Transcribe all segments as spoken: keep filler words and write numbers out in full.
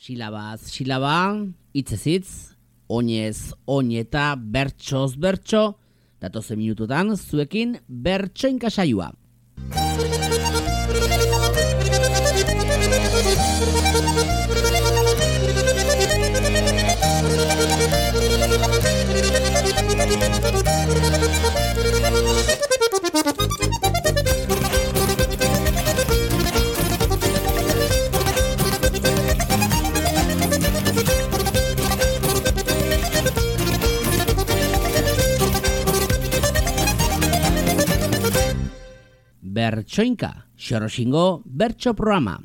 Silabaz, silaba, hitzez hitz, oinez, oin eta bertsoz bertso, datozen minututan zuekin bertsoinka saioa. Bertsoinka, Xoroxingo bertso programa.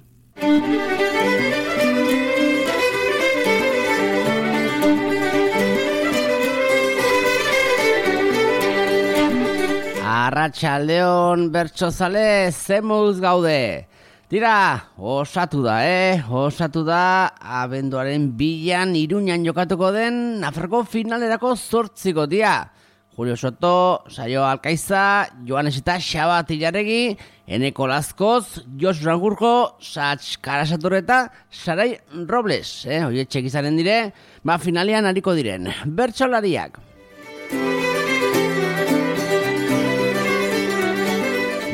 Arratsaldeon bertsozale, zemuz gaude. Tira, osatu da, eh? Osatu da, abenduaren bilan Iruñan jokatuko den Nafarroko finalerako zortziko dia. Julio Soto, Saio Alkaiza, Joanes eta Xabat Ilarregi, Eneko Lazkoz, Jos Rangurjo, Sats Karasator eta Sarai Robles. Eh? Oietxek izanen dire, ba finalean hariko diren. Bertsolariak.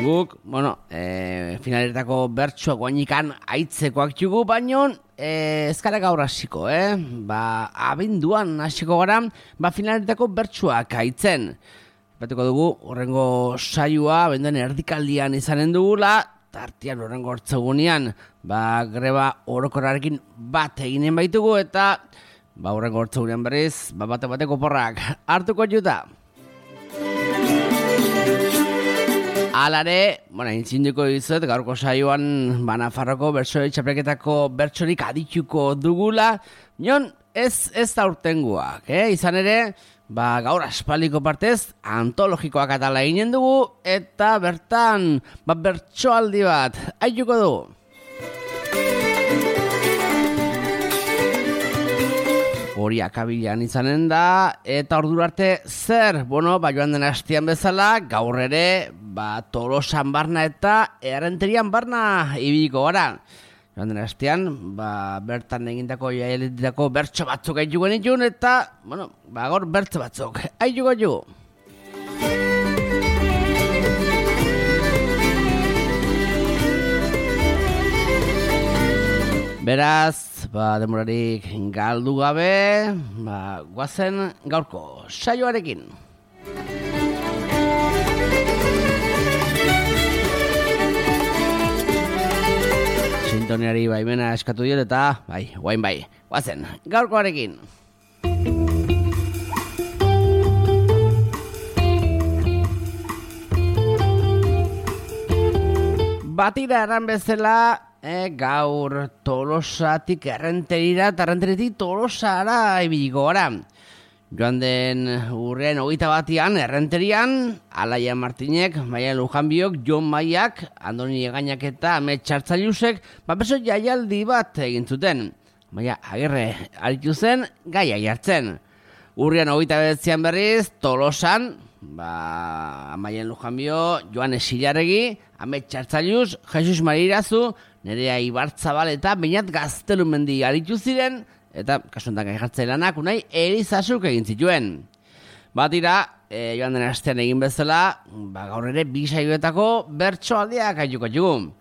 Guk, bueno, e, finaletako bertsoak guainikan aitzekoak txugu, baino e, ez gara gaur hasiko, eh? Ba, abenduan hasiko gara, ba, finaletako bertsoak aitzen. Batuko dugu, horrengo saioa, abenduan erdikaldian izanen dugula, tartian horrengo hortzegunean, ba, greba orokorrarekin bat eginen baitugu, eta, ba, horrengo hortzegunean berriz, ba, bate-bateko porrak hartuko juta. Alare, bueno, intzinduko dizuet, gaurko saioan ba, Nafarroko bertsoi txapelketako bertsorik adituko dugula, nion ez ez da urtengoak, eh? Izan ere, ba, gaur aspaldiko partez antologikoak atala eginen dugu, eta bertan ba, bertsoaldi bat aituko dugu. Hori akabilan izanen da, eta ordura arte zer, bueno, ba, joan den hastian bezala, gaur ere, ba, Tolosan barna eta Errenterian barna ibiliko gara. Joan den hastian, ba, bertan egindako jaialdietako bertso batzuk aituko genitun, eta, bueno, ba, gaur bertso batzuk aituko jugu. Beraz, ba, demorarik galdu gabe, ba, guazen gaurko saioarekin. Sintoniari baimena eskatu diot eta, bai, guain bai, guazen gaurkoarekin. Batira eran bezala, E, gaur Tolosatik Errenterira eta Errenteritik Tolosara ibiliko gara. Joan den urrean hogeita batian Errenterian, Alaia Martinek, Maia Lujanbiok, Jon Maiak, Andoni Egainak eta Amet Txartzailusek, bapeso jaialdi bat egin zuten. Maia Agirre aritu zen gaia jartzen. Urrean hogeita behatzean berriz, Tolosan, ba, Maia Lujanbio, Joan Esilarregi, Amet Txartzailus, Jesus Marirazu, Nerea Ibartzabal eta Beñat Gaztelumendi aritu ziren, eta kasuntan gai jartzea lanak, unai Elizasuk egin zituen. Batira, e, joan den astean egin bezala, ba, gaur ere bi saioetako bertsoaldiak aituko dugu.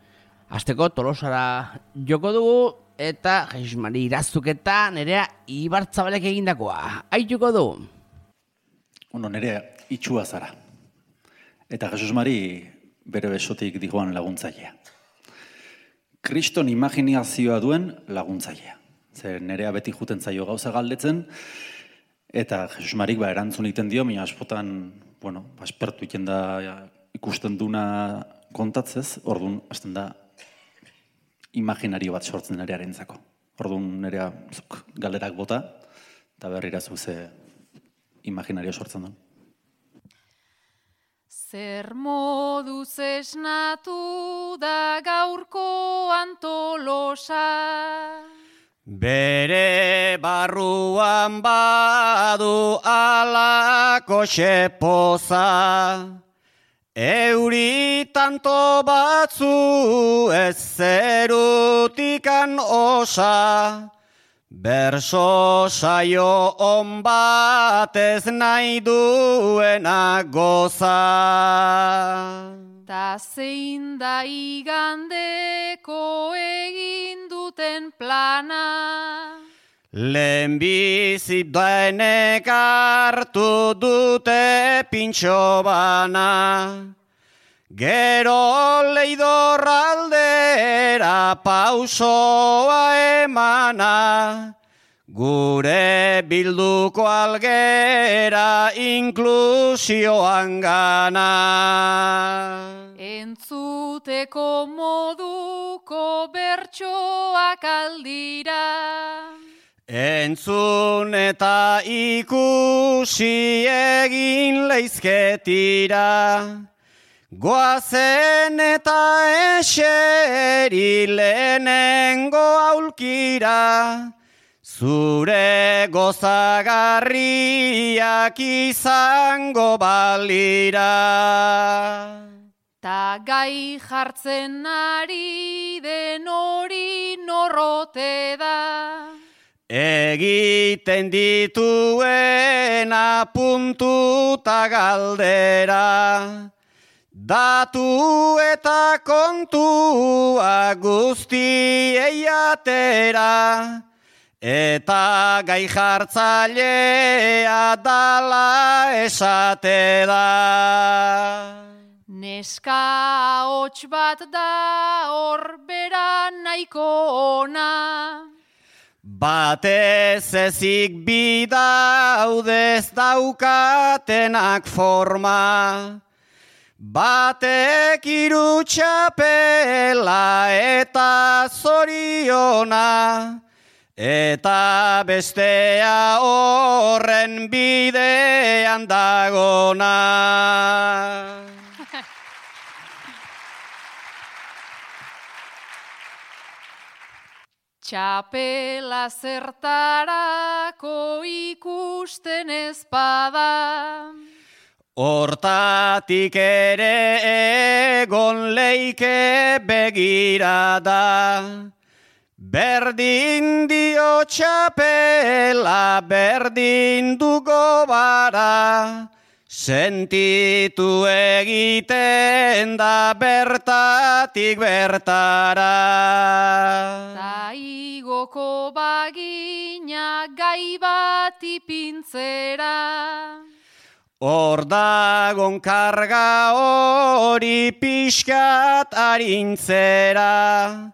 Asteko Tolosara joko dugu, eta Jesus Mari Irazuk eta Nerea Ibartzabalek egindakoa aituko dugu. Bueno, Nerea itxua zara. Eta Jesus Mari bere besotik digoan laguntzailea. Kriston imaginazioa duen laguntzailea. Zer Nerea beti juten zaio gauza galdetzen, eta Jesus Marik ba, erantzun egiten dio, mina askotan, bueno, aspertu iten da ikusten duna kontatzez, orduan, hasten da, imaginario bat sortzen Nerearentzako. Orduan Nerea zuk galderak bota, eta berrira zuze imaginario sortzen duen. Zer moduz esnatu da gaurko Tolosa? Bere barruan badu alako xepoza, euri tanto batzu ez zerutikan osa, Berso saio on batez nahi duena goza. Ta zein da igandeko egin duten plana. Lehenbizi daenek hartu dute pintxo bana. Gero leidorraldera pausoa emana, gure bilduko algera inklusioan gana. Entzuteko moduko bertsoak aldira. Entzun eta ikusi egin leizketira. Goazen eta eseri lehenengo aulkira, zure gozagarriak izango balira. Ta gai jartzen ari den hori norrote da. Egiten dituena puntuta galdera. Datu eta kontua guztiei atera, eta gai jartzailea dala esate da. Neska hots bat da hor bera nahiko ona. Batez ezik bidaudez daukatenak forma. Batek hiru txapela eta zoriona, eta bestea horren bidean dagona. Txapela zertarako ikusten ezpada. Hortatik ere egon leike begirada, berdin dio txapela, berdin dugo bara, sentitu egiten da bertatik bertara. Ta igoko bagina gai bat ipintzera. Hor dagon karga hori pixkat arintzera,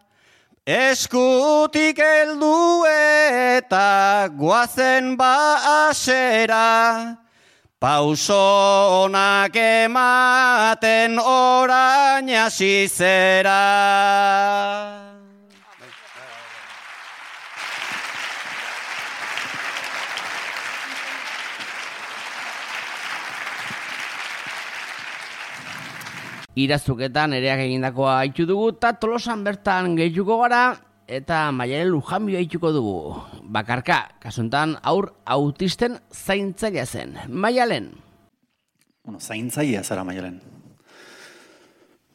eskutik heldu eta guazen baasera, pauso onak ematen orain hasi zera. Irazuketan ereak egindakoa haitu dugu, eta Tolosan bertan gehituko gara, eta Maialen Lujambio haituko dugu. Bakarka, kasuntan aur autisten zaintzailea zen. Maialen. Bueno, zaintzailea zara, Maialen.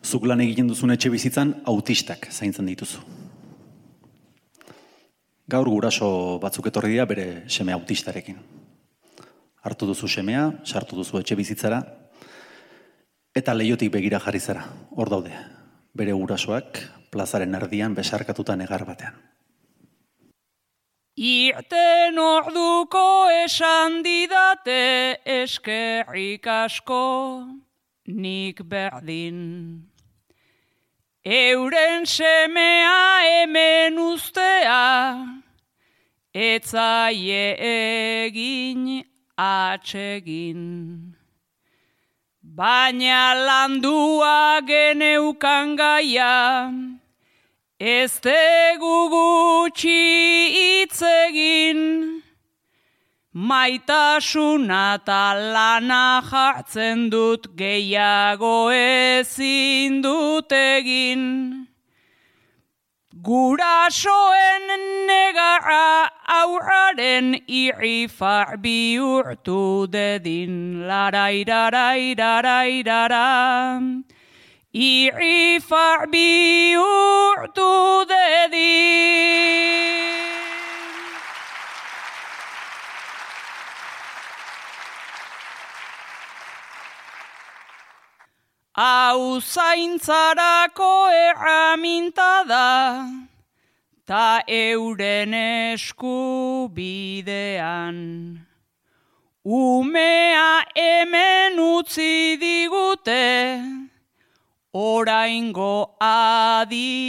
Zuk lan egiten duzun etxe bizitzan autistak zaintzen dituzu. Gaur guraso batzuk etorri dira bere seme autistarekin. Hartu duzu semea, sartu duzu etxe bizitzara, eta leiotik begira jarri zara, hor daude, bere gurasoak plazaren erdian besarkatuta negar batean. Irten orduko esan didate eskerrik asko nik berdin. Euren semea hemen ustea, etzaie egin atsegin. Baina landua geneukan gaia, ez tegu gutxi hitz egin. Maitasuna eta lana jartzen dut gehiago ezin dut egin. Gurasoen negarra aurraren irrifar bihurtu dedin. Larairarairarairara, irrifar bihurtu dedin. hau zaintzarako erraminta da, ta euren eskubidean. Umea hemen utzi digute, oraingo adibidean.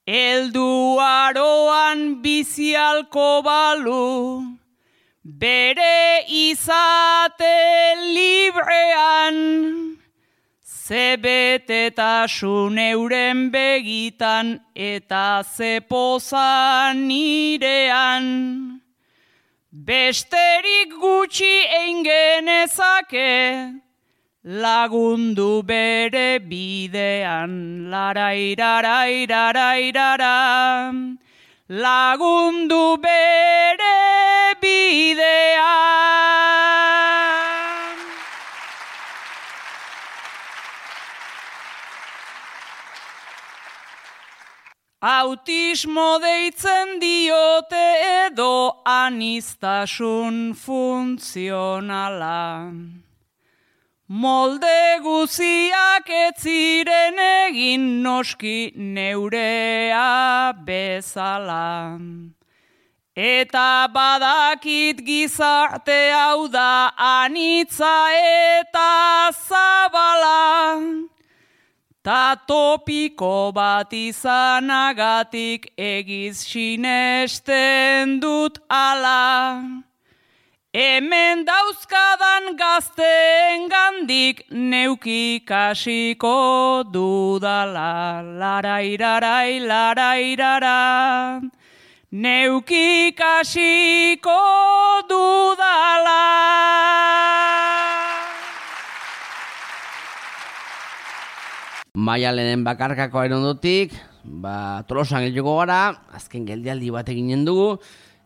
Eldu aroan bizialko balu, bere izate librean, ze betetasun euren begitan eta ze poza nirean. Besterik gutxi egin genezake, lagundu bere bidean, larairarairarairara, lagundu bere bidean. Autismo deitzen diote edo aniztasun funtzionala. Molde guziak ez ziren egin noski neurea bezala. Eta badakit gizarte hau da anitza eta zabala. Ta topiko bat izanagatik egiz sinesten dut ala. Hemen dauzkadan gazteen gandik neuki kasiko dudala. Larairarai, larairara, neuki kasiko dudala. Maialenen bakarkakoaren ondotik, ba, Tolosan gehiago gara, azken geldialdi bat eginen dugu,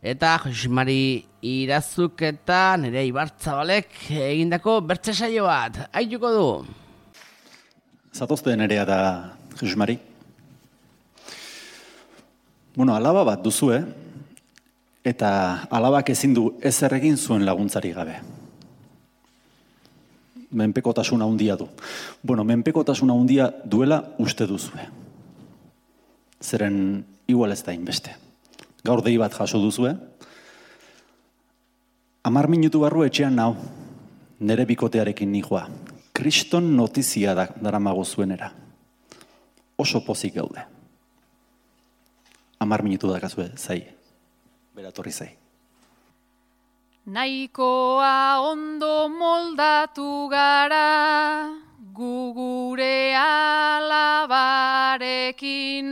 eta Jose Mari Irazuk eta Nerea Ibartzabalek egindako bertze saio bat, aituko du. Zatozte Nerea da Jose Mari. Bueno, alaba bat duzue, eta alabak ezin du ezer egin zuen laguntzari gabe. Menpekotasuna handia du. Bueno, menpekotasuna handia duela uste duzue. Zeren igual ez da inbeste. Gaur dei bat jaso duzue. Hamar minutu barru etxean nau, nere bikotearekin nijoa. Kriston notizia da daramago zuenera. Oso pozik gaude. Hamar minutu dakazue, zai. Beratorri zai. Nahikoa ondo moldatu gara, gu gure alabarekin.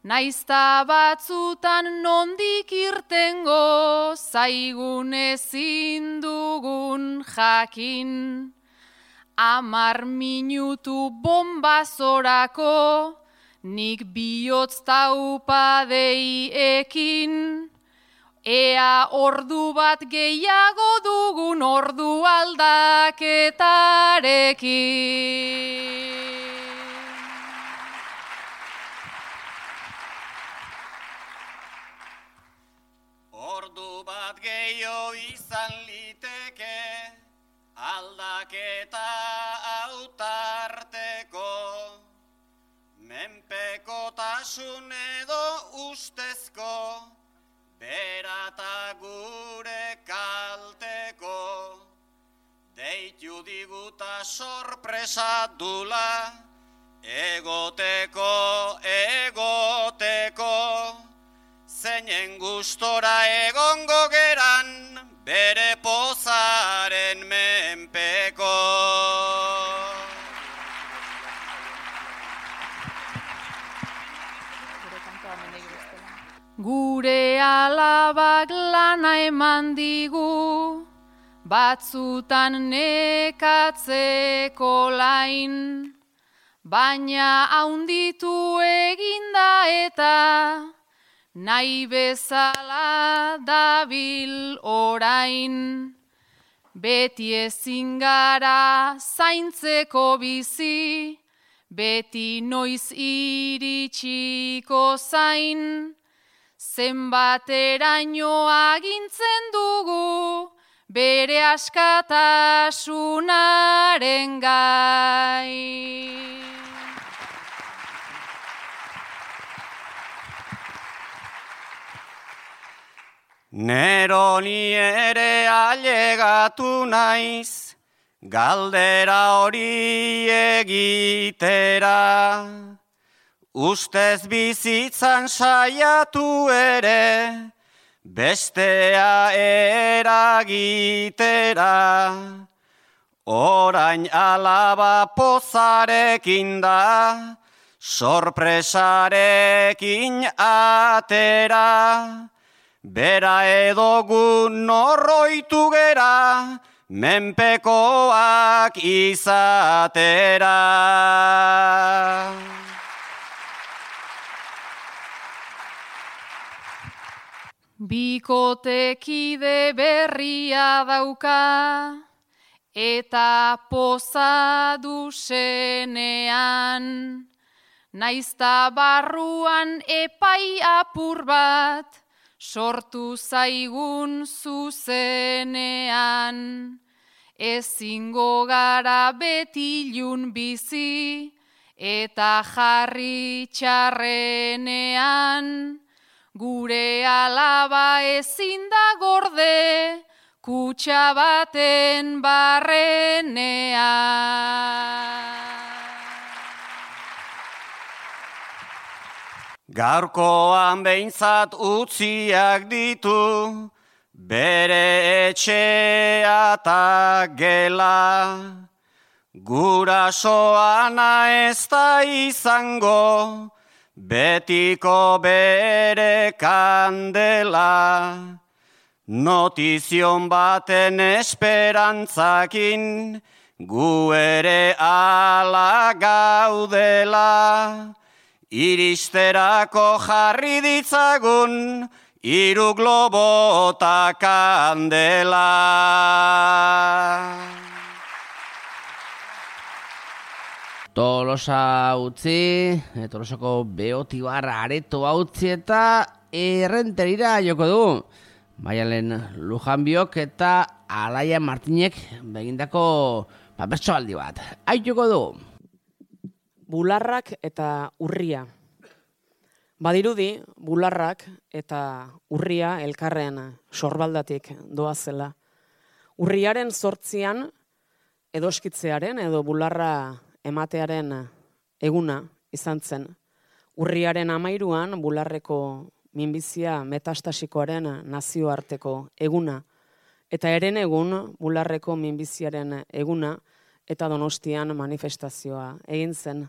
Naizta batzutan nondik irtengo, zaigun ezin dugun jakin. Hamar minutu bombazorako, nik bihotz taupadei ekin. Ea ordu bat gehiago dugun ordu aldaketarekin. Ordu bat gehiago izan liteke, aldaketa autarteko. Menpekotasun edo ustezko, berata gure kalteko, deitu diguta sorpresa dula, egoteko, egoteko, zeinen gustora egongo geran, bere pozaren menpeko. Gure alabak lana eman digu, batzutan nekatzeko lain, baina haunditu eginda eta nahi bezala dabil orain. Beti ezin gara zaintzeko bizi, beti noiz iritsiko zain. Zenbateraino agintzen dugu, bere askatasunaren gai. Neroni ere ailegatu naiz, galdera hori egitera. Ustez bizitzan saiatu ere, bestea eragitera. Orain alaba pozarekin da, sorpresarekin atera. Bera edo gu norroitu gera, menpekoak izatera. Bikotekide berria dauka, eta poza duzenean, naizta barruan epai apur bat, sortu zaigun zuzenean. Ezingo gara betilun bizi, eta jarri txarrenean, gure alaba ezin da gorde, kutxa baten barrenean. Gaurkoan behintzat utziak ditu, bere etxea eta gela. Gurasoana ez da izango, betiko bere kandela. Notizion baten esperantzakin, gu ere ala gaudela. Iristerako jarri ditzagun, hiru globo ta kandela. Tolosa utzi, Tolosako Beotibarra aretoa utzi eta Errenterira joko du. Maialen Lujanbiok eta Alaia Martinek begindako papertsoaldi bat. Ai joko du. Bularrak eta urria. Badirudi, bularrak eta urria elkarren sorbaldatik doazela. Urriaren zortzian edoskitzearen edo bularra ematearen eguna izan zen. Urriaren amairuan bularreko minbizia metastasikoaren nazioarteko eguna. Eta eren egun bularreko minbiziaren eguna eta Donostian manifestazioa egin zen.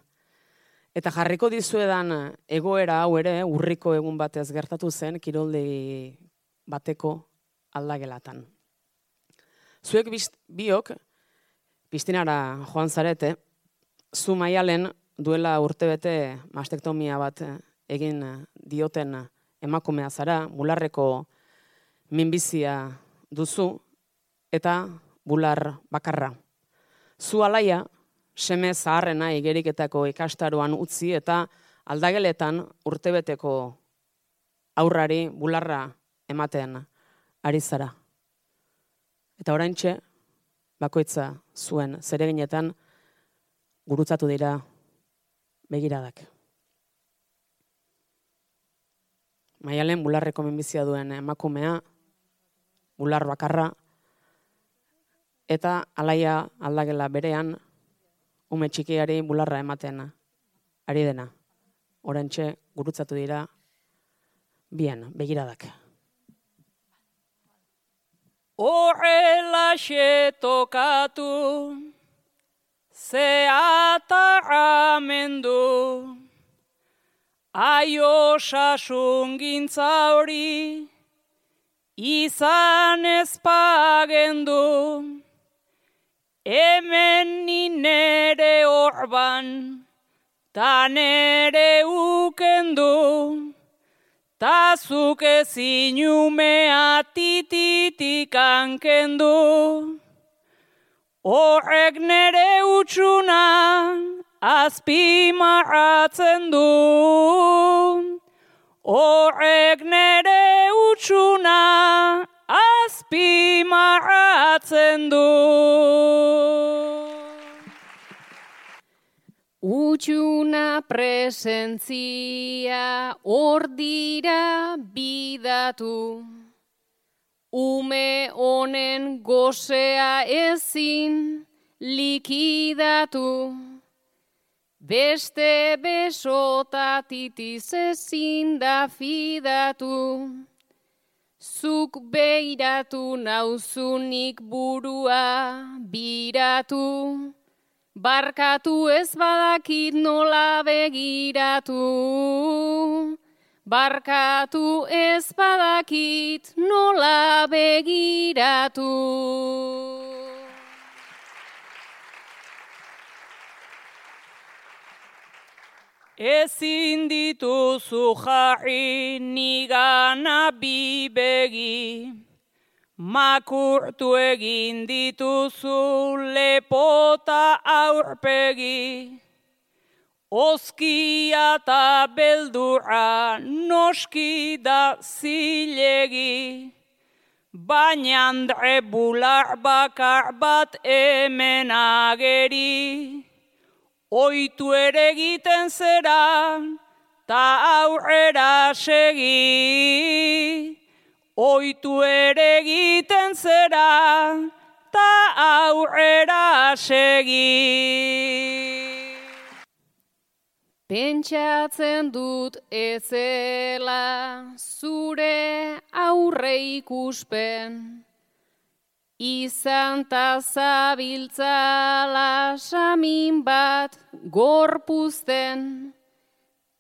Eta jarriko dizuedan egoera hau ere urriko egun batez gertatu zen kiroldegi bateko aldagelatan. Zuek biok piztinara joan zarete, zu Maialen duela urtebete mastektomia bat egin dioten emakumea zara, bularreko minbizia duzu eta bular bakarra. Zu Alaia, seme zaharrena igeriketako ikastaroan utzi eta aldageletan urtebeteko aurrari bularra ematen ari zara. Eta oraintxe, bakoitza zuen zereginetan gurutzatu dira begiradak. Maialen bularreko minbizia duen emakumea, bular bakarra, eta Alaia aldagela berean, ume txikiari bularra ematen ari dena. Oraintxe gurutzatu dira bien begiradak. Horrelaxe tokatu, zeatarramendu, aio sasungintza hori, izan ezpagendu, hemen ni nere orban, ta nere ukendu, ta zuk ezin umea tititik hankendu. Horrek nere utxuna azpimarratzen du. Horrek nere utxuna azpimarratzen du. Utxuna presentzia hor dira bidatu, ume honen gozea ezin likidatu, beste besotatitis ezin da fidatu, zuk beiratu nauzunik burua biratu, barkatu ez badakit nola begiratu, barkatu ez badakit nola begiratu. Ezin dituzu jarri nigana bi begi, makurtu egin dituzu lepota aurpegi, oskia eta beldurra noski da zilegi, baina andre bular bakar bat hemen ageri, oitu ere egiten zera, ta aurrera segi. Oitu ere egiten zera, ta aurrera segi. Pentsatzen dut ezela zure aurre ikuspen, izan ta zabiltzala samin bat gorpuzten,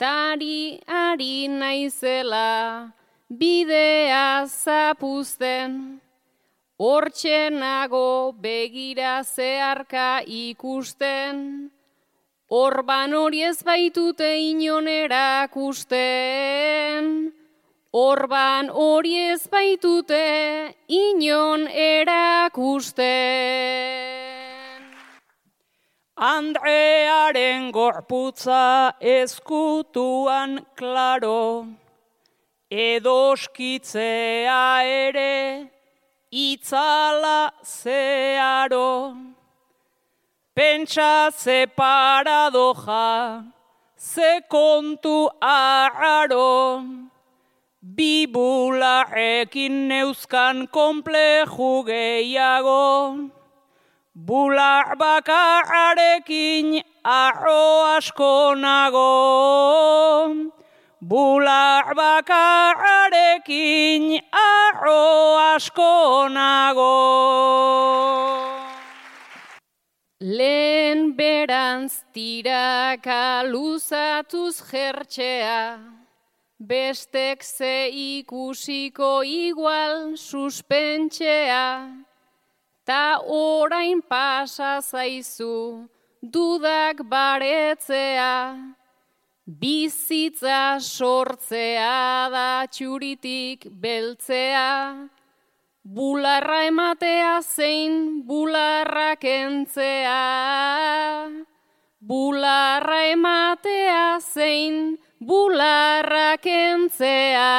tari ari naizela bidea zapuzten, hortxenago begira zeharka ikusten, orban hori ez baitute inon erakusten, orban hori ez baitute inon erakusten. Andrearen gorputza ezkutuan klaro, edoskitzea ere itzala zeharo. Pentsa ze paradoja, ze kontu arraro, bi bularrekin neuzkan konpleju gehiago, bular bakarrarekin arro asko nago, bular bakarrarekin arro asko nago. Lehen berantz tiraka luzatuz jertxea, bestek ze ikusiko igual suspentxea, ta orain pasa zaizu dudak baretzea, bizitza sortzea da txuritik beltzea, bularra ematea zein bularra kentzea, bularra ematea zein bularra kentzea.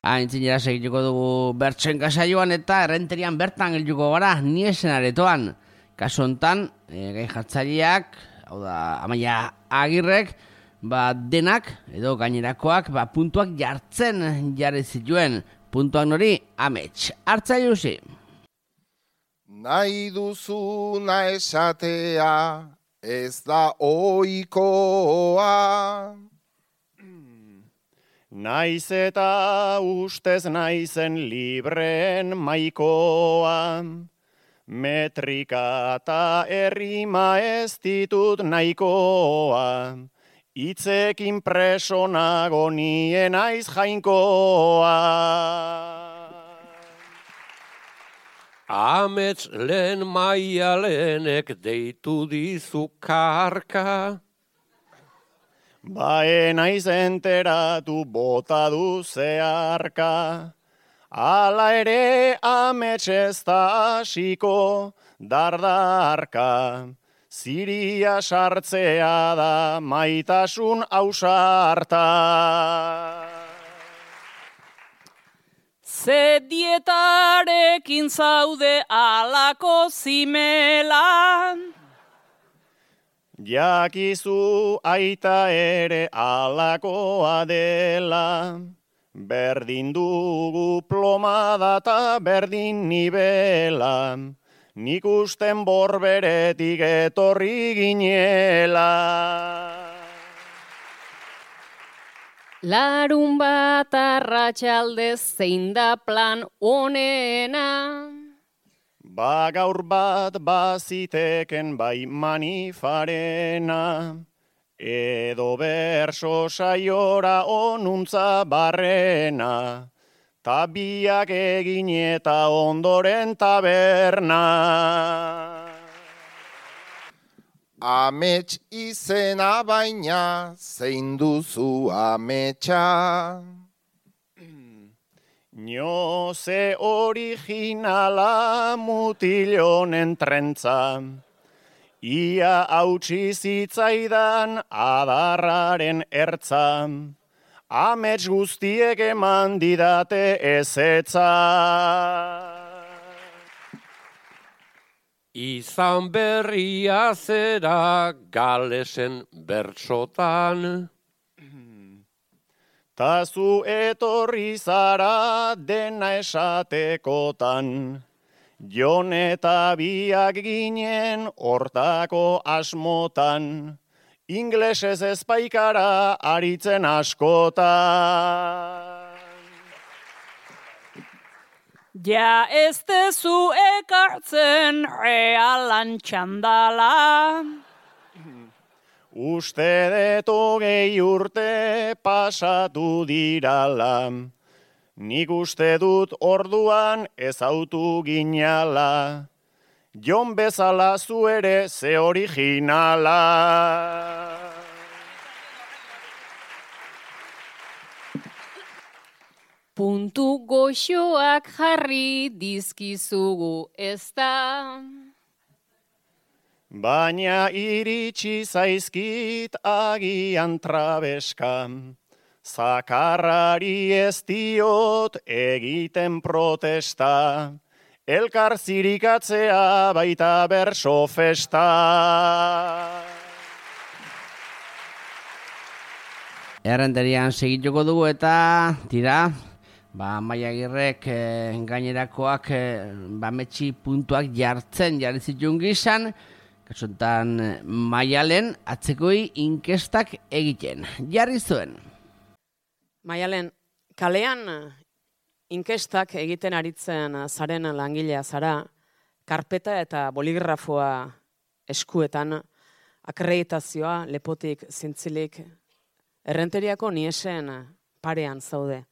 Aintzinera segituko dugu bertsen kasaioan eta errenterian bertan gelduko gara niesen aretoan. Kasu hontan, e, gai jartzaileak, hau da, Amaia Agirrek, ba, denak edo gainerakoak ba, puntuak jartzen jarri zituen. Puntuak nori amets. Hartzaile usi. Nahi duzuna esatea ez da ohikoa. Naiz eta ustez naizen libreen maikoa, metrika eta errima ez ditut nahikoa, hitzekin presonago nien naiz jainkoa. Amets lehen maialenek deitu dizu karka, Bae naiz enteratu bota du zeharka, ala ere amets ez da hasiko dardarka, ziria sartzea da maitasun ausarta. Ze dietarekin zaude alako zimelan. Jakizu aita ere alakoa dela, berdin dugu plomada eta berdin nibela, nik usten borberetik etorri ginela. Larun bat arratsaldez zein da plan onena. Ba gaur bat baziteken bai manifarena, edo berso saiora onuntza barrena, ta biak egin eta ondoren taberna. Amets izena baina zein duzu ametsa. Nioze originala mutilonen trentza, ia hautsi zitzaidan adarraren ertza, amets guztiek eman didate ezetza. Izan berria zera galesen bertsotan, ta zu etorri zara dena esatekotan, jon eta biak ginen hortako asmotan, inglesez ezpaikara aritzen askotan. Ja ez tezu ekartzen realan txandala. Uste dut hogei urte pasatu dirala, nik uste dut orduan ezautu ginala, jon bezala zu ere ze originala. Puntu goxoak jarri dizkizugu ezta. Baina iritsi zaizkit agian trabeska, zakarrari ez diot egiten protesta, elkar zirikatzea baita berso festa. Errenterian segituko dugu eta tira, ba, Maia Agirrek eh, gainerakoak eh, bametsi puntuak jartzen jarri zituen gizan, kasontan Maialen atzekoi inkestak egiten. Jarri zuen. Maialen, kalean inkestak egiten aritzen zaren langilea zara, karpeta eta boligrafoa eskuetan, akreditazioa lepotik zintzilik, errenteriako niesen parean zaude.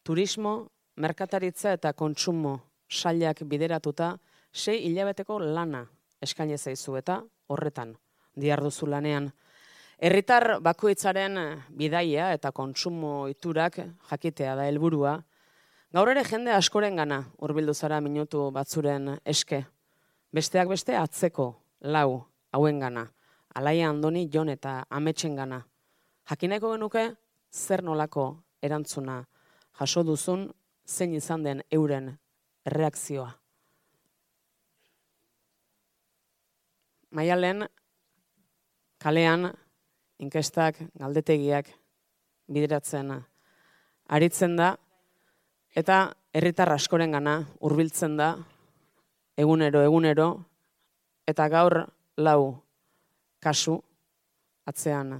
Turismo, merkataritza eta kontsumo sailak bideratuta sei hilabeteko lana eskaini zaizu eta horretan diharduzu lanean. Herritar bakoitzaren bidaia eta kontsumo iturak jakitea da helburua. Gaur ere jende askorengana hurbildu zara minutu batzuren eske. Besteak beste atzeko lau hauengana, Alaia Andoni, Jon eta Ametsengana. Jakineko genuke zer nolako erantzuna jaso duzun, zein izan den euren erreakzioa. Maialen, kalean, inkestak, galdetegiak bideratzen aritzen da, eta herritar askorengana hurbiltzen da, egunero, egunero, eta gaur lau kasu atzean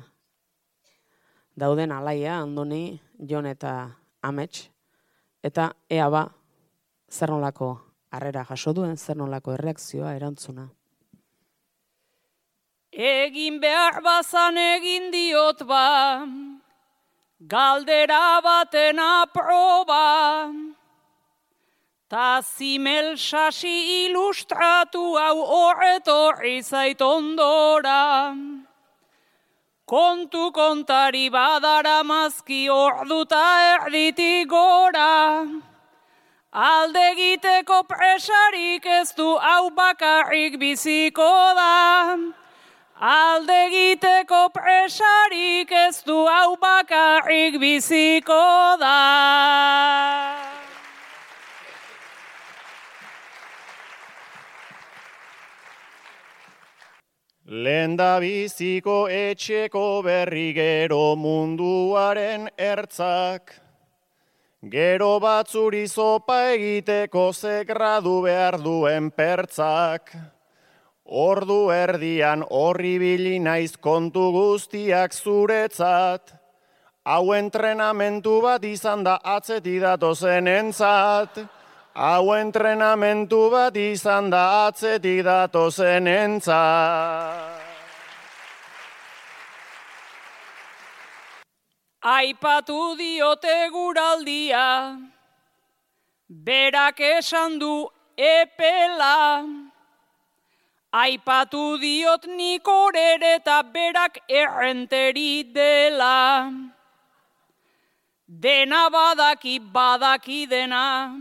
dauden Alaia, Andoni, Jon eta Amets, eta ea ba, zer nolako harrera jaso duen, zer nolako erreakzioa, erantzuna. Egin behar bazan egin diot ba, galdera baten aproba, ta zimel sasi ilustratu hau horretorri zait ondora. Kontu kontari badara mazki orduta erditik gora, alde egiteko presarik ez du hau bakarrik biziko da. Alde egiteko presarik ez du hau bakarrik biziko da. Lenda biziko etxeko berri gero munduaren ertzak. Gero batzuri zopa egiteko ze gradu behar duen pertzak. Ordu erdian horri bili naiz kontu guztiak zuretzat. Hau entrenamentu bat izan da atzetik datozen entzat. Hau entrenamentu bat izan da atzetik datozen entzat. Aipatu diote guraldia, berak esan du epela. Aipatu diot nik orere eta berak errenteri dela. Dena badaki badaki dena,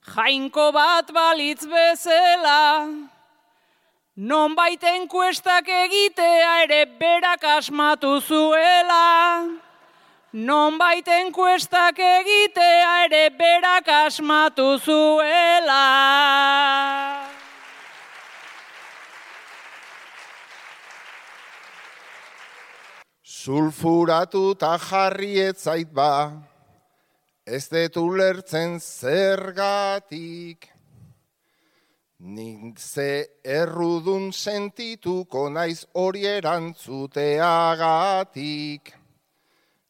jainko bat balitz bezala. Nonbait enkuestak egitea ere berak asmatu zuela. Nonbait enkuestak egitea ere berak asmatu zuela. Sulfuratu eta jarri etzait ba, ez dut ulertzen zergatik. Nik ze errudun sentituko naiz hori erantzuteagatik.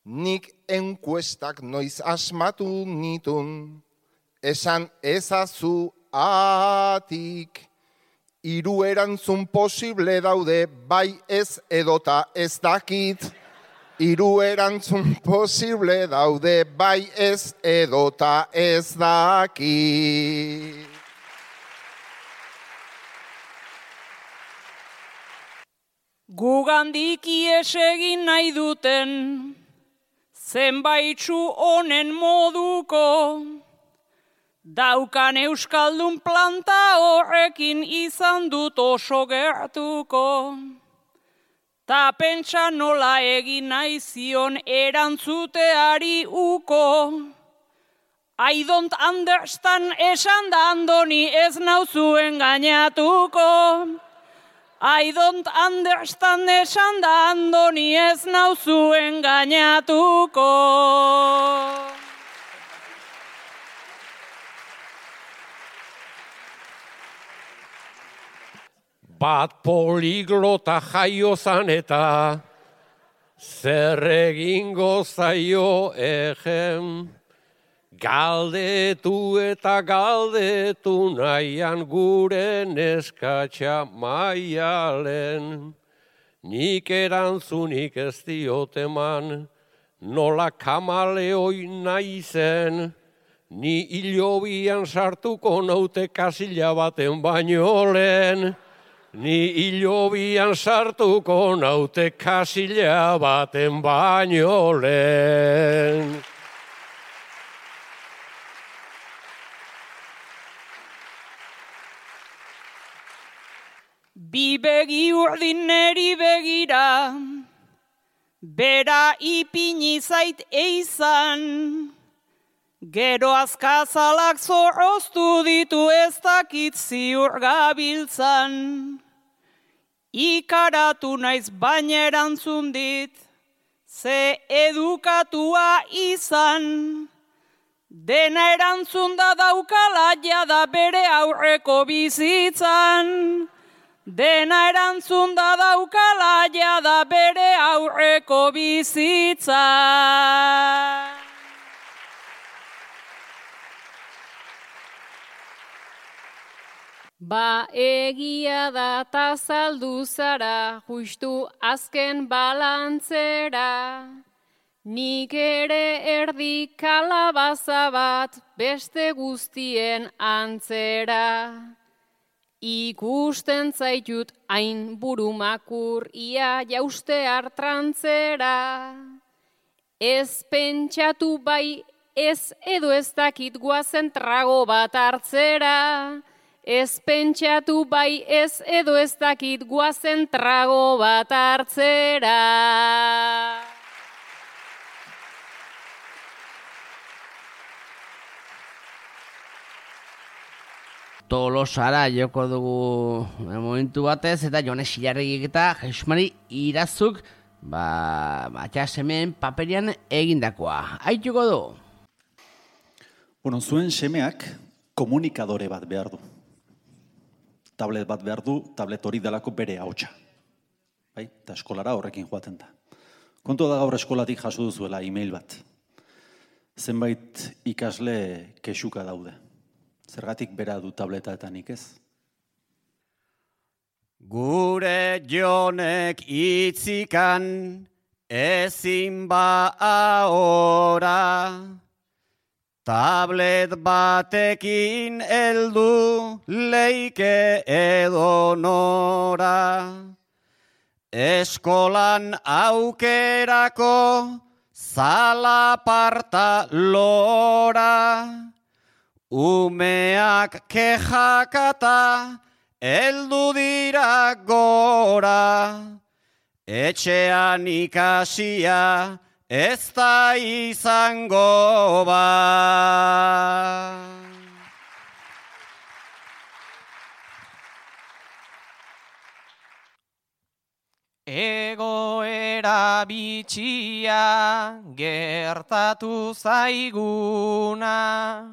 Nik enkuestak noiz asmatu nitun, esan ezazu atik. Hiru erantzun posible daude, bai ez edota ez dakit. Hiru erantzun posible daude, bai ez edota ez dakit. Gugandik ies egin nahi duten, zenbaitzu honen moduko, daukan euskaldun planta horrekin izan dut oso gertuko. Ta pentsa nola egin nahi zion erantzuteari uko. I don't understand esan da Andoni ez nauzuen gainatuko. I don't understand esan da Andoni ez nauzuen gainatuko. Bat poliglota jaio zan eta zer egingo zaio egen. Galdetu eta galdetu nahian gure neskatxa maialen. Nik erantzunik ez diot eman, nola kamaleoi naizen. Ni hilobian sartuko naute kasila baten baino lehen. Ni hilobian sartuko naute kasila baten baino lehen. Bi begi urdin neri begira, bera ipini zait eizan. Gero azkazalak zorroztu ditu ez dakit ziur gabiltzan. Ikaratu naiz baina erantzun dit, ze edukatua izan. Dena erantzun da daukala jada bere aurreko bizitzan. Dena erantzun da daukala jada bere aurreko bizitzan. Ba egia da ta saldu zara, justu azken balantzera. Nik ere erdi kalabaza bat beste guztien antzera. Ikusten zaitut hain burumakur ia jauste hartrantzera. Ez pentsatu bai ez edo ez dakit guazen trago bat hartzera. Ez pentsatu bai ez edo ez dakit guazen trago bat hartzera. Tolosara joko dugu momentu batez, eta Jone Silarregik eta Jesus Mari Irazuk ba, matxasemeen paperian egindakoa. Aituko du. Bueno, zuen semeak komunikadore bat behar du. Tablet bat behar du, tablet hori delako bere ahotsa. Bai? Eta eskolara horrekin joaten da. Kontu da gaur eskolatik jaso duzuela e-mail bat. Zenbait ikasle kexuka daude. Zergatik bera du tableta eta nik ez? Gure Jonek itzikan ezin ba ahora, tablet batekin heldu leike edonora. Eskolan aukerako zalaparta lora, umeak kejakata heldu dira gora, etxean ikasia ez da izango ba. Egoera bitxia gertatu zaiguna,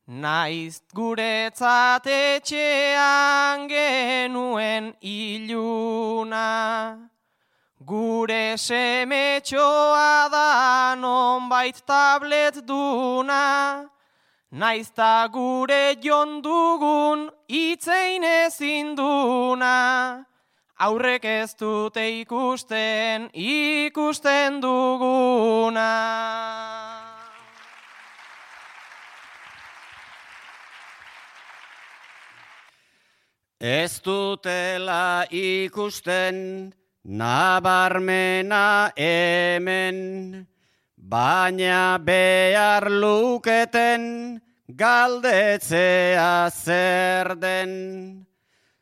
naiz guretzat etxean genuen iluna. Gure semetxoa da nonbait tablet duna, naiz ta gure jon dugun itzein ezin duna. Aurrek ez dute ikusten, ikusten duguna. Ez dutela ikusten, nabarmena hemen, baina behar luketen galdetzea zer den.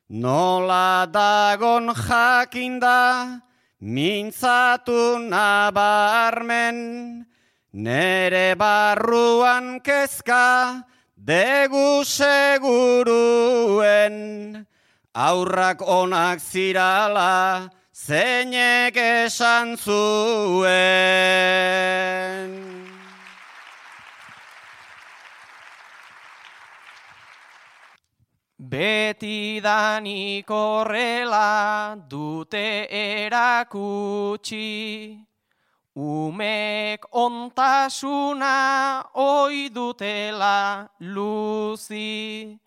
Nola dagon jakinda, mintzatu nabarmen, nere barruan kezka, degu seguruen, aurrak onak zirala, zeinek esan zuen. Betidanik horrela dute erakutsi, umek ontasuna oi dutela luzi.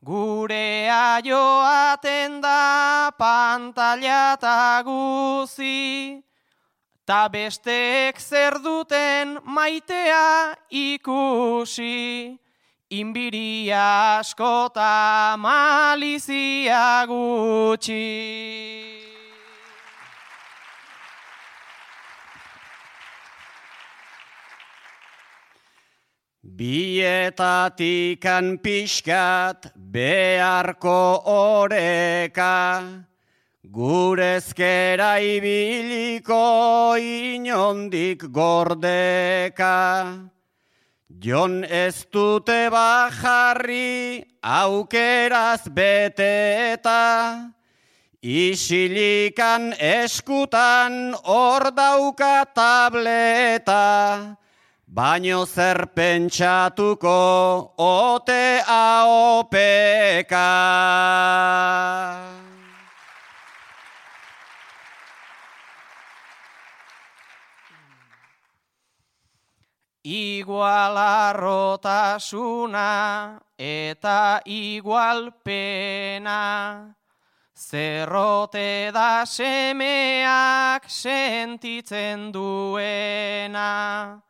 Gurea joaten da pantalla eta guzi, ta besteek zer duten maitea ikusi. Inbiria askota malizia gutxi. Bietatikan pixkat beharko oreka, gurezkera ibiliko inondik gordeka. Jon ez dute bajarri aukeraz beteta, isilikan eskutan hor dauka tableta, baino zer pentsatuko ote aopeka. Igual arrotasuna eta igual pena, zerrote da semeak sentitzen duena.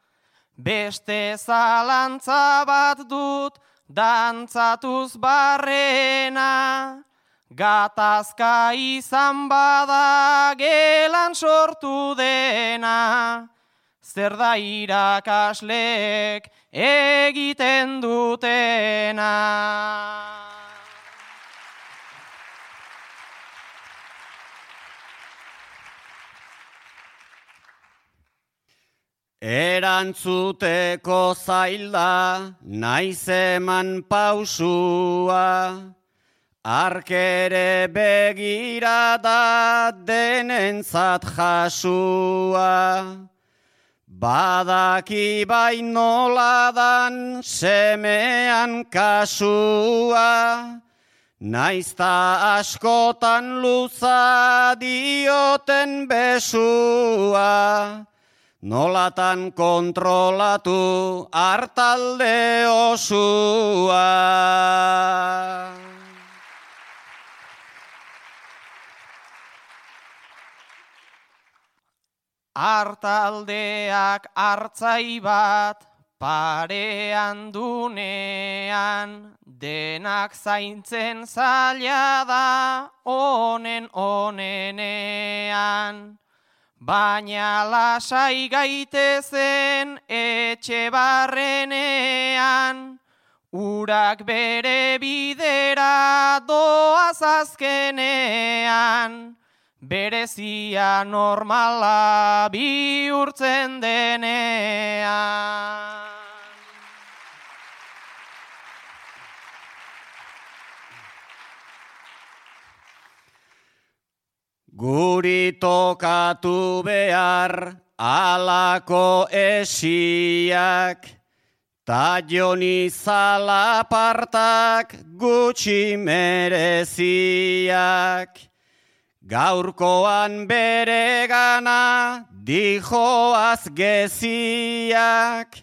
Beste zalantza bat dut dantzatuz barrena, gatazka izan bada gelan sortu dena. Zer da irakasleek egiten dutena. Erantzuteko zailda, naiz eman pausua, arkere begirada denentzat jasua. Badaki bai noladan semean kasua, naizta askotan luza dioten besua, nolatan kontrolatu hartalde osua. Hartaldeak hartzai bat parean dunean, denak zaintzen zaila da onen onenean. Baina lasai gaitezen etxe barrenean, urak bere bidera doaz azkenean, berezia normala bihurtzen denean. Guri tokatu behar alako esiak, ta joni zalapartak gutxi mereziak. Gaurkoan bere gana dijoaz geziak,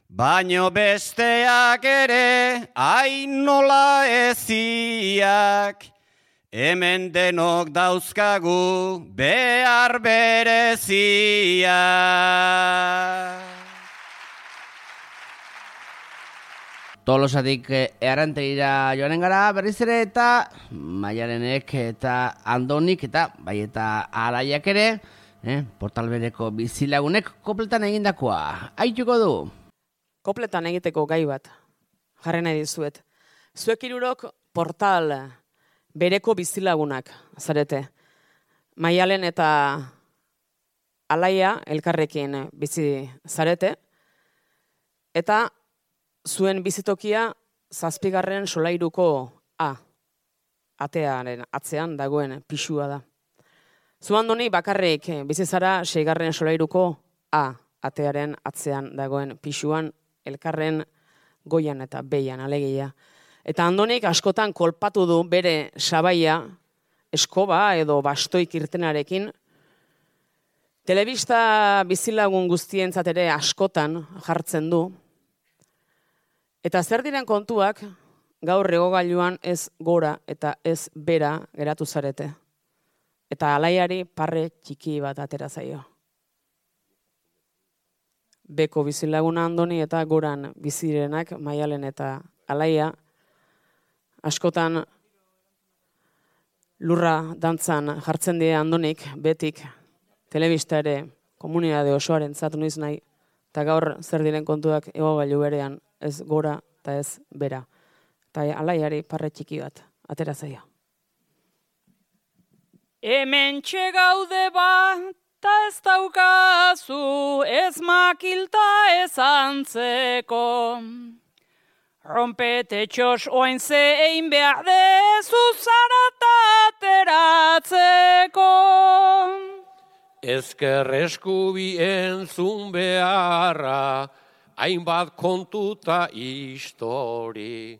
baino besteak ere ainola eziak. Hemen denok dauzkagu behar bereziak. Tolosatik errantegira joanen gara berriz ere eta Maialenek eta Andonik eta bai eta Araiak ere, eh, Portalbereko bizilagunek kopletan egindakoa. Aituko du? Kopletan egiteko gai bat, jarri nahi dizuet. Zuek hirurok Portal bereko bizilagunak zarete. Maialen eta Alaia elkarrekin bizi zarete, eta zuen bizitokia zazpigarren solairuko A, atearen atzean dagoen pisua da. Zu Andoni bakarrik bizi zara seigarren solairuko A, atearen atzean dagoen pisuan, elkarren goian eta behian alegia. Eta Andonik askotan kolpatu du bere sabaia, eskoba edo bastoik irtenarekin. Telebista bizilagun guztientzat ere askotan jartzen du. Eta zer diren kontuak gaur egogailuan ez gora eta ez bera geratu zarete. Eta Alaiari parre txiki bat atera zaio. Beko bizilaguna Andoni eta goran bizirenak Maialen eta Alaia askotan lurra dantzan jartzen die Andonik betik telebista ere komunitate osoaren zatu noiz nahi, eta gaur zer diren kontuak egogailu berean ez gora eta ez bera. Eta Alaiari parre txiki bat atera zaio. Hemen txegaude bat, ta ez daukazu, ez makilta ez antzeko. Rompete txos oain zein behar dezu zaratateratzeko. Ezker eskubi entzun beharra, hainbat kontuta histori.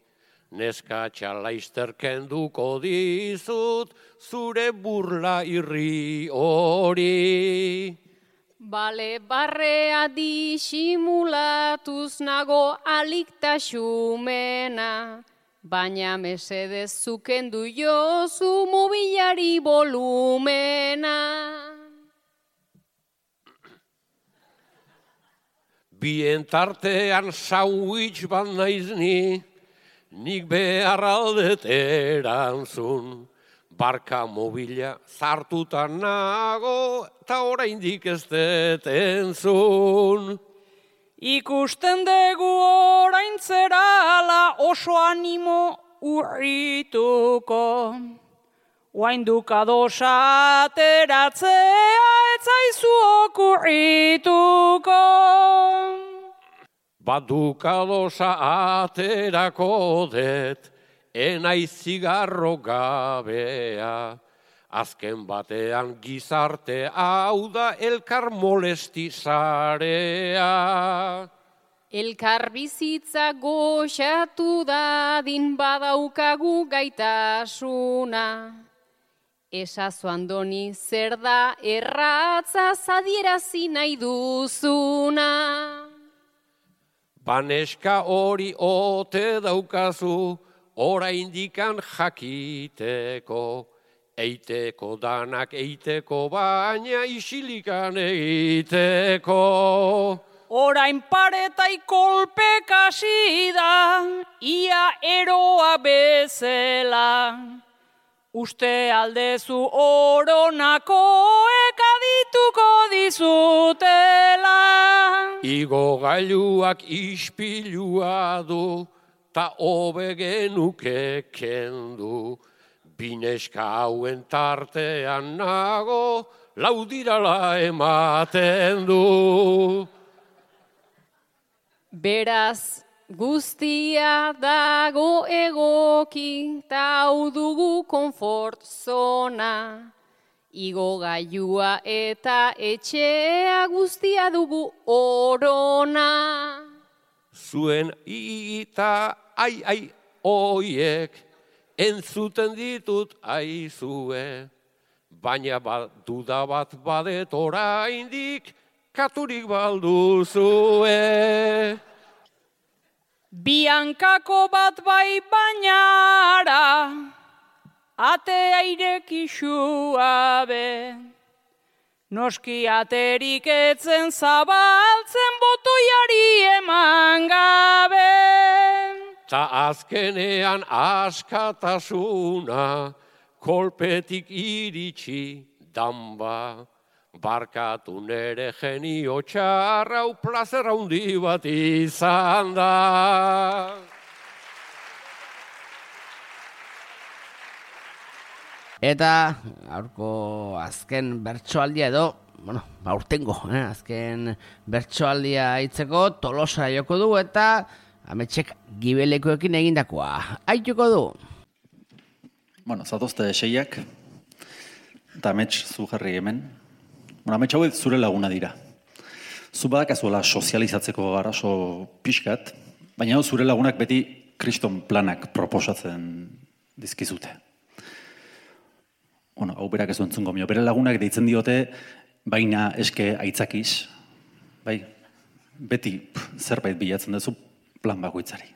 Neskatxa laizter kenduko dizut, zure burla irri hori. Bale barrea disimulatuz nago aliktaxumena, baina mesedez zukendu jozu mobilari volumena. Bien tartean sandwich bat naiz ni, nik behar aldet erantzun. Barka mobila zartuta nago, eta oraindik ez dut entzun. Ikusten dugu orain zerala oso animo urrituko. Oainduk adosa ateratzea ez zaizu okurrituko. badukadosa aterako det, enaiz zigarro gabea. Azken batean gizarte hau da elkar molesti zarea. Elkar bizitza goxatu dadin badaukagu gaitasuna. Esazu Andoni zer da erratza zadierazi nahi duzuna. Baneska hori ote daukazu, oraindikan jakiteko. Eiteko danak eiteko, baina isilikan egiteko. Orain paretai kolpek hasi da, ia eroa bezala. Uste aldezu oronakoek adituko dizutela. Igo gailuak ispilua du, ta hobe genuke kendu. Bineska hauen tartean nago, laudirala ematen du. Beraz, guztia dago egoki, ta hau dugu konfort zona. Igo gailua eta etxea guztia dugu orona. Zuen ita ai ai oiek, entzuten ditut aizue, baina bat, duda bat badet oraindik, katurik balduzue. Biankako bat bai bainara, atea irekixua be. Noski aterik etzen zabaltzen botoiari eman gabe. Ta azkenean askatasuna, kolpetik iritsi danba. Barkatu nere genio txarrau plazer handi bat izan da. Eta aurko azken bertsoaldia edo, bueno, aurtengo, eh? azken bertsoaldia hitzeko Tolosa joko du eta Ametxek gibelekoekin egindakoa. Aituko du. Bueno, zatozte seiak, eta Amets zu jarri hemen. Bueno, Amets hauek zure laguna dira. Zu badakazuela sozializatzeko garaso pixkat, baina zure lagunak beti kriston planak proposatzen dizkizute. Bueno, hau berak ez entzungo mio. Bere lagunak deitzen diote, baina eske aitzakiz. Bai, beti pff, zerbait bilatzen duzu plan bakoitzari.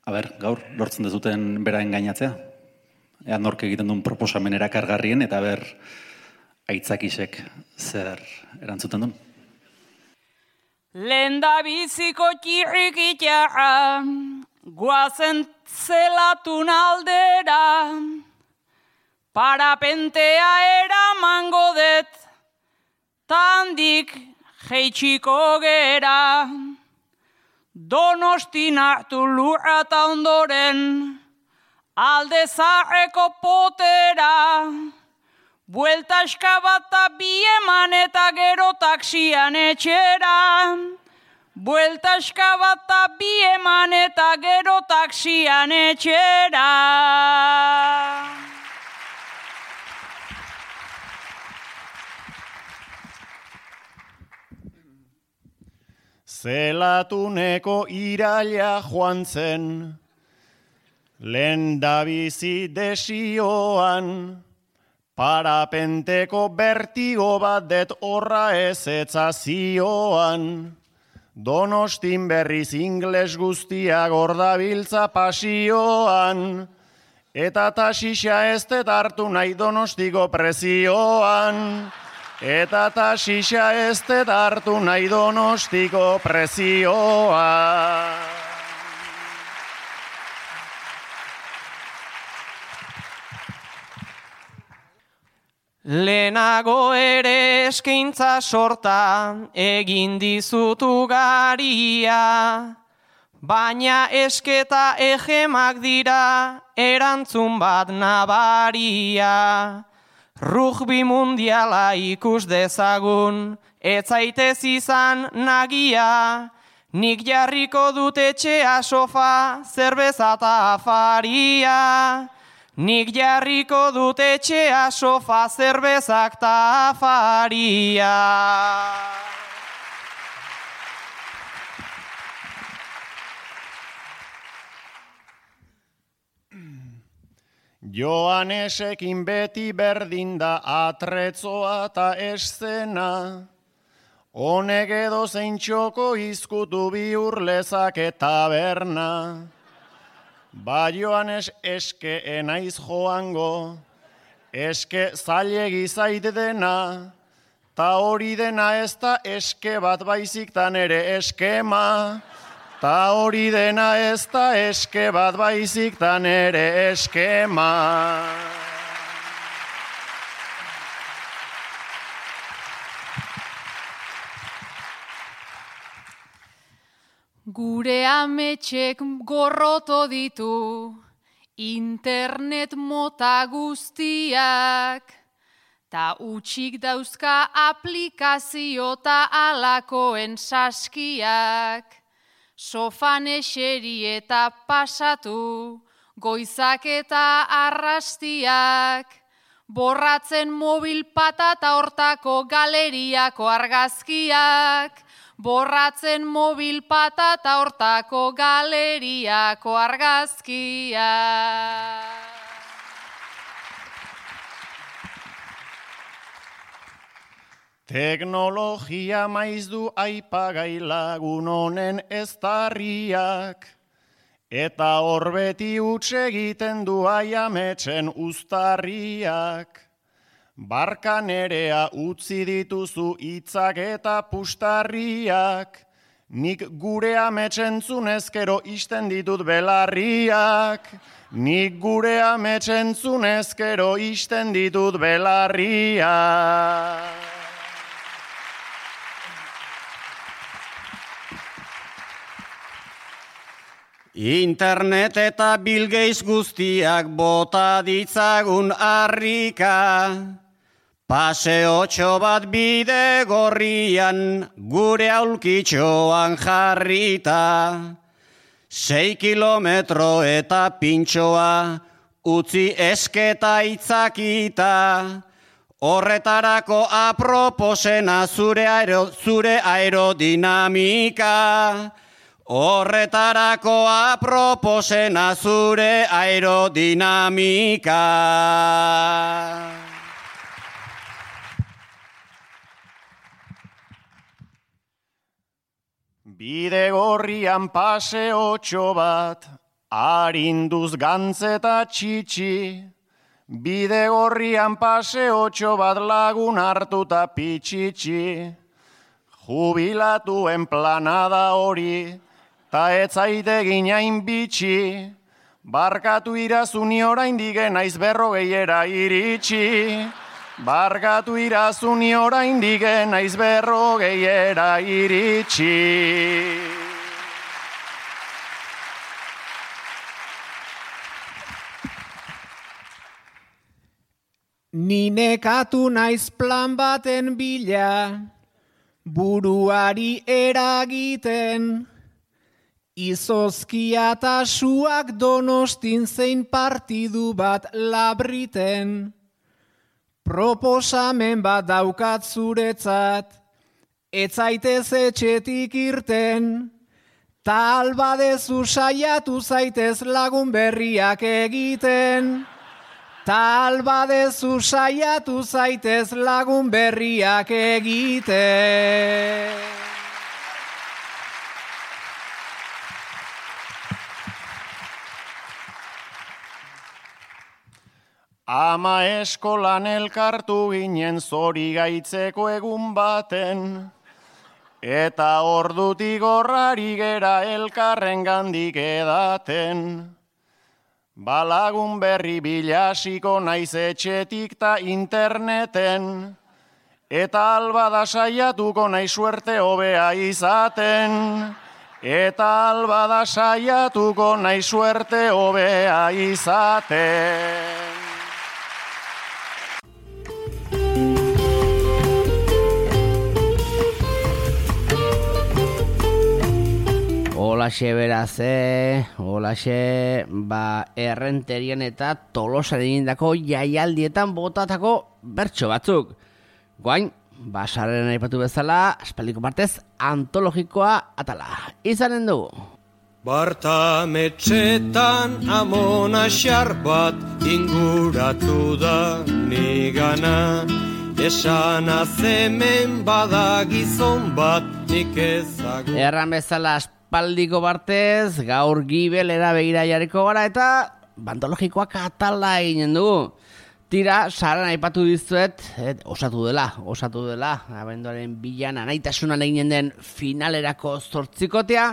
A ber, gaur, lortzen dezuten bera engainatzea? Ea nork egiten duen proposamen erakargarrien eta ber aitzakisek zer erantzuten duen? Lenda biziko txirrikitea, guazen zelatun aldera, parapentea eramango det, tandik jeitxiko gera. Donostin hartu lurra eta ondoren, alde zaharreko potera, buelta eskabata bi eman eta gero taksian etxera. Buelta eskabata bi eman eta gero taksian etxera. Zelatuneko iraila joan zen, lehen dabizi desioan, parapenteko bertigo bat det horra ezetza zioan. Donostin berriz ingles guztia gordabiltza pasioan, eta taxixa ez det hartu nahi Donostiko prezioan. Eta taxixa ez det hartu nahi Donostiko prezioan. Lehenago ere eskaintza sorta egin dizutu garia, baina esketa egemak dira erantzun bat nabaria. Rugby mundiala ikus dezagun ez zaitez izan nagia, nik jarriko dut etxea sofa, zerbeza eta afaria. Nik jarriko dut etxea sofa, zerbezak eta afaria. Joanesekin beti berdin da atretzoa eta eszena, honek edo zein txoko izkutu bihur lezake taberna. Ba Joanes eske enaiz joango, eske zailegi zait dena, ta hori dena ez da eske bat baizik tan ere eskema. Ta hori dena ez da eske bat baizik tan ere eskema. Gure ametxek gorroto ditu, internet mota guztiak, ta utxik dauzka aplikazio ta alakoen saskiak. Sofan eseri eta pasatu, goizak eta arrastiak, borratzen mobil patata hortako galeriako argazkiak, borratzen mobil patata hortako galeriako argazkiak. Teknologia maiz du aipagai lagun honen eztarriak, eta hor beti huts egiten du aiametxen uztarriak. Barka nerea utzi dituzu hitzak eta pustarriak, nik gure ametxentzun ezkero isten ditut belarriak. Nik gure ametxentzun ezkero isten ditut belarriak. Internet eta Bill Gates guztiak bota ditzagun harrika, paseotxo bat bide gorrian gure aulkitxoan jarrita, sei kilometro eta pintxoa utzi esketa itzakita, horretarako aproposena zure, aero, zure aerodinamika. Horretarako aproposena zure aerodinamika. Bide gorrian paseotxo bat, arinduz gantzeta txitsi. Bide gorrian paseotxo bat lagun hartuta pitxitxi. Jubilatuen planada hori, ta etzaite ginain bitxi, barkatu irazuni oraindik naiz berrogeiera iritsi. Barkatu irazuni oraindik naiz berrogeiera iritsi. Ni nekatu naiz plan baten bila, buruari eragiten, izozkia eta suak Donostin zein partidu bat labriten. Proposamen bat daukat zuretzat, ez zaitez etxetik irten, ta albadezu saiatu zaitez lagun berriak egiten. Ta albadezu saiatu zaitez lagun berriak egiten. Ama eskolan elkartu ginen zori gaitzeko egun baten, eta ordutik horrari gera elkarren gandik edaten. Balagun berri bilasiko naiz etxetik ta interneten, eta albada saiatuko naiz suerte hobea izaten. Eta albada saiatuko naiz suerte hobea izaten. Olaxe beraz, eh? Olaxe, ba, errenterien eta Tolosaren egindako jaialdietan botatako bertso batzuk. Guain, basaren aipatu bezala, aspaldiko partez antologikoa atala. Izanen dugu. Bartametxetan amona xar bat inguratu da nigana. Esan azemen bada gizon bat nik ezagun. Erran bezala aspaldiko partez, gaur gibelera begira jarriko gara eta bantologikoak atala eginen dugu. Tira, saran aipatu dizuet, et, osatu dela, osatu dela, abenduaren bilan anaitasunan eginen den finalerako zortzikotea.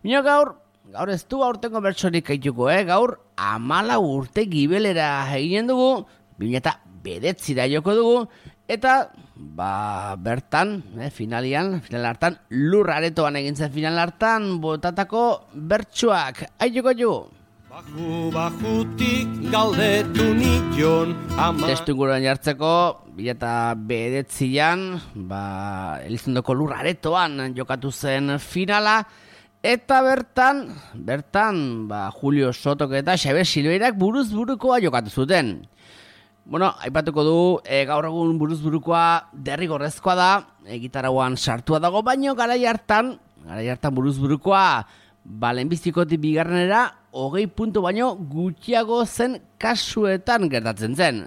Bino gaur, gaur ez du aurtengo bertsorik aituko, eh? Gaur amala urte gibelera eginen dugu, bina eta bedetzira joko dugu, eta ba, bertan, eh, finalian, final hartan, lur aretoan egintzen final hartan, botatako bertsoak, aituko dugu. Baju bajutik galdetu nion ama... Testu inguruan jartzeko, bila eta bedetzian, ba, Elizondoko lur aretoan jokatu zen finala, eta bertan, bertan, ba, Julio Sotok eta Xabier Silveirak buruz burukoa jokatu zuten. Bueno, aipatuko du, e, gaur egun buruz burukoa derrigorrezkoa da, e, gitarauan sartua dago, baino garai hartan, garai hartan buruz burukoa, ba, lehenbiztikotik bigarrenera, hogei puntu baino gutxiago zen kasuetan gertatzen zen.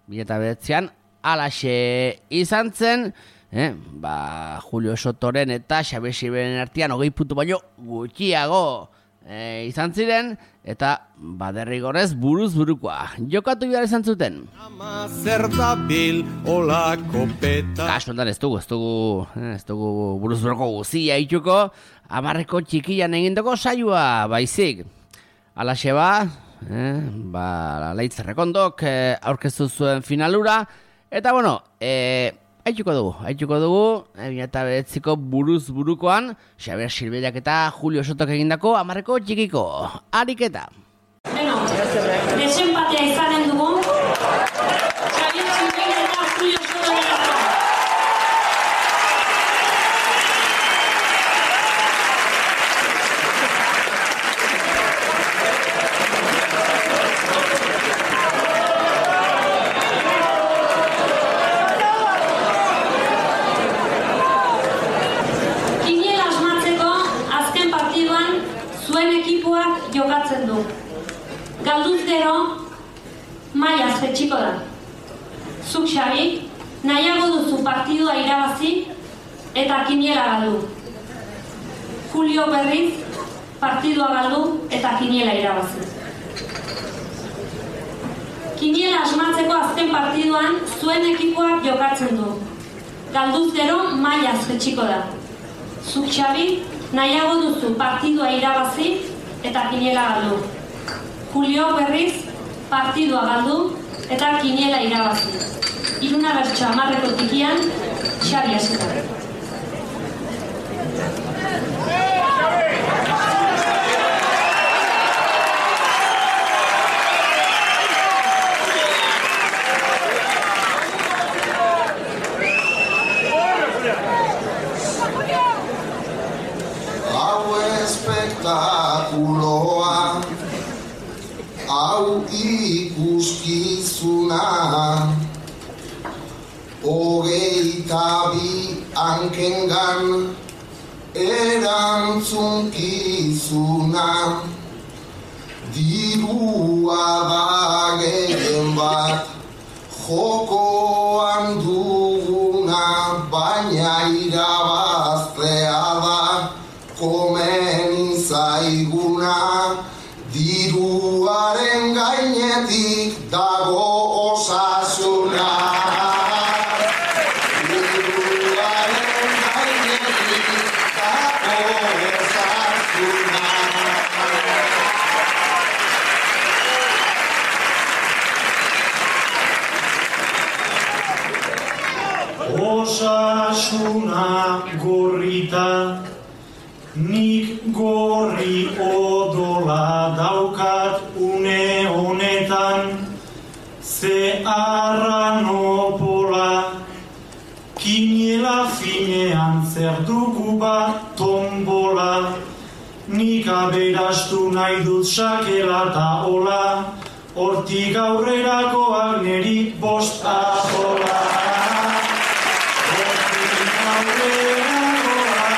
Bila eta bedetzean, alaxe izan zen, eh, ba, Julio Sotoren eta Xabier Silveiren artean hogei puntu baino gutxiago e, izan ziren, eta baderrigorrez buruz burukoa. Jokatu behar izan zuten. Ama zer dabil olako peta. Kasu ondan ez dugu, ez dugu, ez dugu buruz buruko guzia ituko, amarreko txikian egindako saioa baizik. Alaxe ba, eh, ba, Leitz Errekondok eh, aurkeztu zuen finalura, eta bueno, eh, Aituko dugu, aituko dugu, ebina eta beretziko buruz burukoan, Xabier Silveirak eta Julio Sotok egindako amarreko txikiko ariketa. Bueno, desenpatea izanen dugu, Xabier Silveirak eta Julio Sotok egindako. Jokatzen du. Galduz gero, mailaz jetxiko da. Zuk, Xabi, nahiago duzu partidua irabazi eta kiniela galdu. Julio berriz, partidua galdu eta kiniela irabazi. Kiniela asmatzeko azken partiduan zuen ekipoak jokatzen du. Galduz gero, mailaz jetxiko da. Zuk, Xabi, nahiago duzu partidua irabazi eta kiniela galdu. Julio berriz partidua galdu eta kiniela irabazi. Iruna bertso amarreko tikian, Xabi hasita. Spektakuloa, hau ikuskizuna, hogeita bi hankengan erantzunkizuna, dirua da gehien bat jokoan duguna, baina irabaztea da komeni zaiguna, diruaren gainetik dago osasuna. Diruaren gainetik dago osasuna. Osasuna gorrita, nik gorri odola daukat une honetan, ze arranopola, kiniela finean zer dugu bat tombola, nik aberastu nahi dut sakela ta hola, hortik aurrerakoak neri bost ahola. Hortik aurrerakoak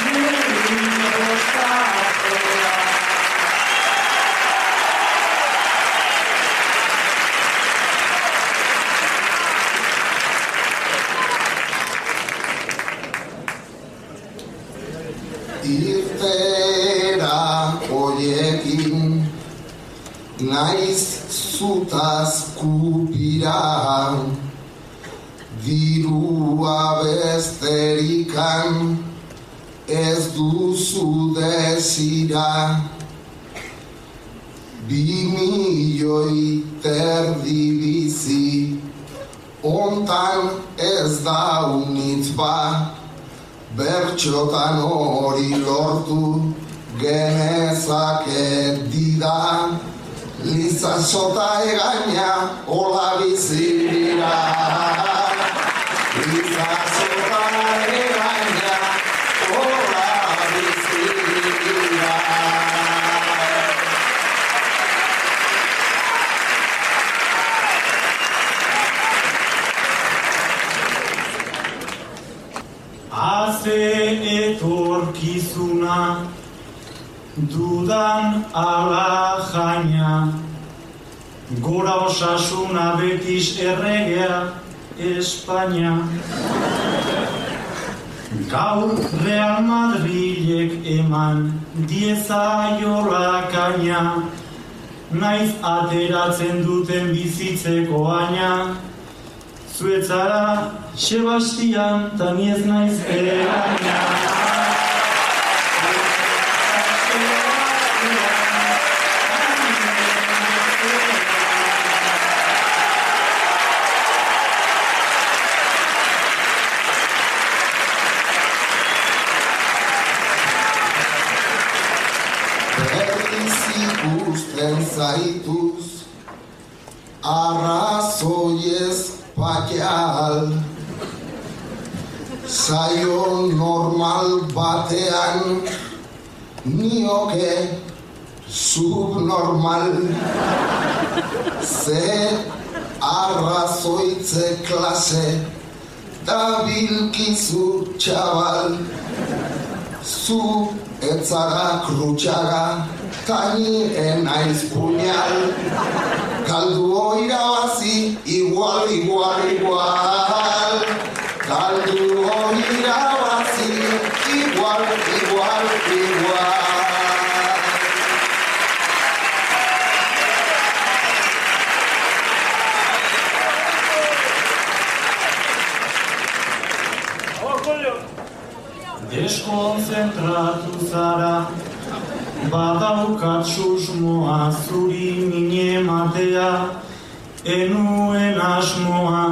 neri bost ahola. Irtera hoiekin naiz zutaz kupira, dirua besterikan ez duzu desira, bi milioi terdi bizi, ontan ez da unitz ba, bertxotan hori lortu genezake dida, lizazota egaina hola bizira. Lizazota egaina hola bizira. Haze etorkizuna, dudan ala jaina, gora osasuna betiz erregea Espainia. Gaur Real Madrilek eman diezaiola kaina, naiz ateratzen duten bizitzeko aina, zuetzara Sebastian ta ni ez naiz eraina. Ikusten zaituz, arrazoiez pakeal, saio normal batean, nioke subnormal, ze arrazoitze klase, da bilkizu txabal, zu etzara krutxaga, tani enaiz puñal, kaldu irabazi, igual, igual, igual, kaldu irabazi, igual, igual, igual. Deskonzentratu zara, badaukat susmoa zuri mine matea, enuen asmoa,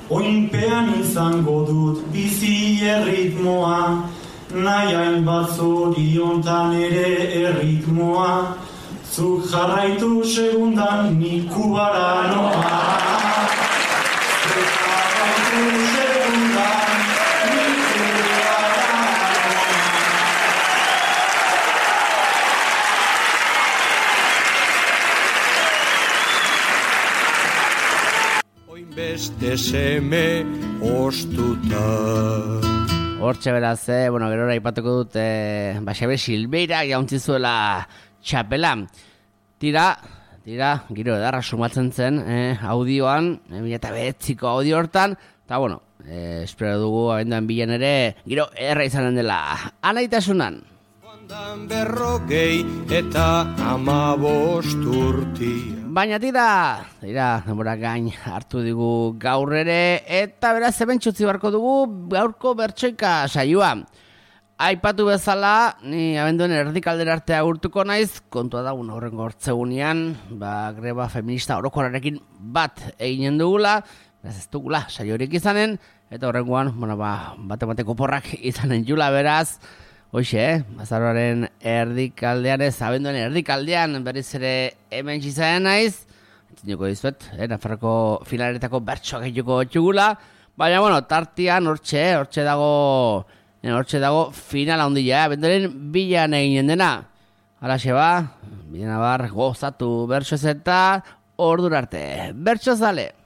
oinpean izango dut bizi erritmoa, nahi hainbat zoriontan ere erritmoa, zuk jarraitu segundan nik Kubara noa. Zuk jarraitu segundan nik beste seme ostuta. Hortxe beraz, eh, bueno, gero aipatuko dut, eh, Baxabe Silveira jauntzi zuela txapela. Tira, tira, giro edarra sumatzen zen, eh, audioan, eh, mila eta behetziko audio hortan, eta bueno, eh, espero dugu abenduan bilen ere, giro erra izanen dela, anaitasunan. Berrogei eta amabost urti. Baina tira, tira, denbora gain hartu digu gaur ere, eta beraz ebentxutzi barko dugu gaurko bertsoika saioa. Aipatu bezala, ni abenduen erdikaldera arte agurtuko naiz, kontua dagun horrengo hortzegunean, ba, greba feminista orokorrarekin bat eginen dugula, beraz ez dugula saiorik izanen, eta horrengoan, bueno, ba, bate-bateko porrak izanen jula beraz. Hoxe, eh? Azaroaren erdikaldean ez, abenduen erdikaldean berriz ere hemen txizaen naiz. Entzuneko dizuet, eh? Nafarroko finaletako bertsoak egiteko txugula. Baina, bueno, tartian hortxe, hortxe dago hortxe dago finala handia, bendaren bilan eginen dena. Halaxe ba, bidenabar gozatu bertsoz eta ordura arte. Bertsozale!